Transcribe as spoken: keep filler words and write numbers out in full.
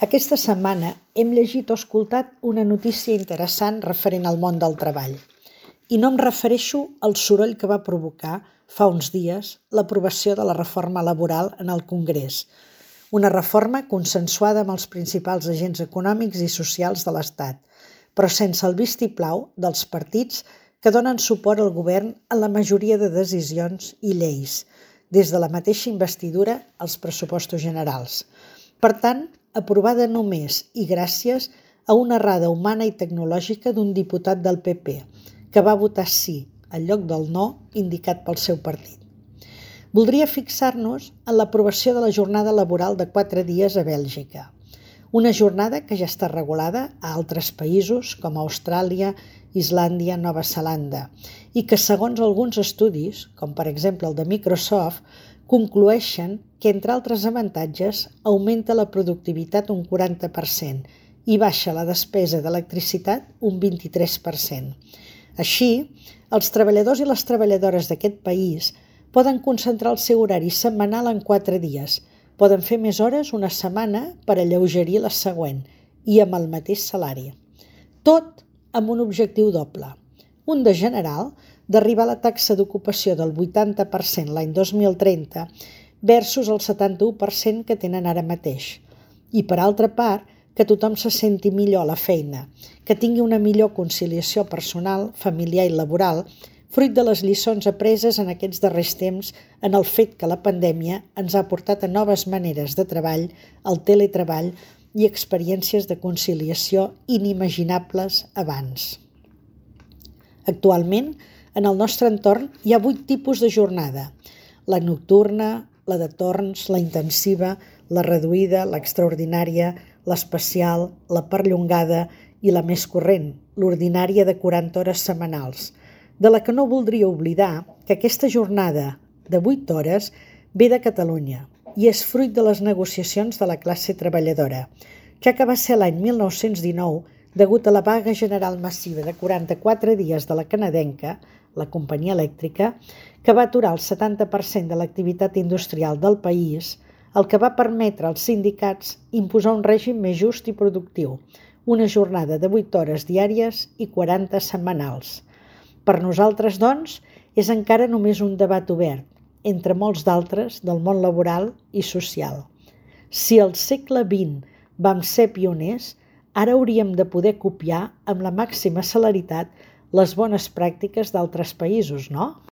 Aquesta setmana hem llegit o escoltat una notícia interessant referent al món del treball. I no em refereixo al soroll que va provocar, fa uns dies, l'aprovació de la reforma laboral en el Congrés, una reforma consensuada amb els principals agents econòmics i socials de l'Estat, però sense el vistiplau dels partits que donen suport al govern en la majoria de decisions i lleis, des de la mateixa investidura als pressupostos generals. Per tant, aprovada només i gràcies a una errada humana i tecnològica d'un diputat del P P, que va votar sí en lloc del no indicat pel seu partit. Voldria fixar-nos en l'aprovació de la jornada laboral de quatre dies a Bèlgica, una jornada que ja està regulada a altres països com Austràlia, Islàndia, Nova Zelanda, i que segons alguns estudis, com per exemple el de Microsoft, concloeixen que, entre altres avantatges, augmenta la productivitat un quaranta per cent i baixa la despesa d'electricitat un vint-i-tres per cent. Així, els treballadors i les treballadores d'aquest país poden concentrar el seu horari setmanal en quatre dies, poden fer més hores una setmana per alleugerir la següent i amb el mateix salari. Tot amb un objectiu doble, un de general, d'arribar a la taxa d'ocupació del vuitanta per cent l'any dos mil trenta versus el setanta-u per cent que tenen ara mateix. I per altra part, que tothom se senti millor a la feina, que tingui una millor conciliació personal, familiar i laboral, fruit de les lliçons apreses en aquests darrers temps en el fet que la pandèmia ens ha portat a noves maneres de treball, el teletreball i experiències de conciliació inimaginables abans. Actualment, en el nostre entorn hi ha vuit tipus de jornada: la nocturna, la de torns, la intensiva, la reduïda, l'extraordinària, l'especial, la perllongada i la més corrent, l'ordinària de quaranta hores setmanals, de la que no voldria oblidar que aquesta jornada de vuit hores ve de Catalunya i és fruit de les negociacions de la classe treballadora, ja que va ser l'any mil nou-cents dinou, degut a la vaga general massiva de quaranta-quatre dies de la canadenca, la companyia elèctrica, que va aturar el setanta per cent de l'activitat industrial del país, el que va permetre als sindicats imposar un règim més just i productiu, una jornada de vuit hores diàries i quaranta setmanals. Per nosaltres, doncs, és encara només un debat obert, entre molts d'altres del món laboral i social. Si al segle vint vam ser pioners, ara hauríem de poder copiar amb la màxima celeritat les bones pràctiques d'altres països, no?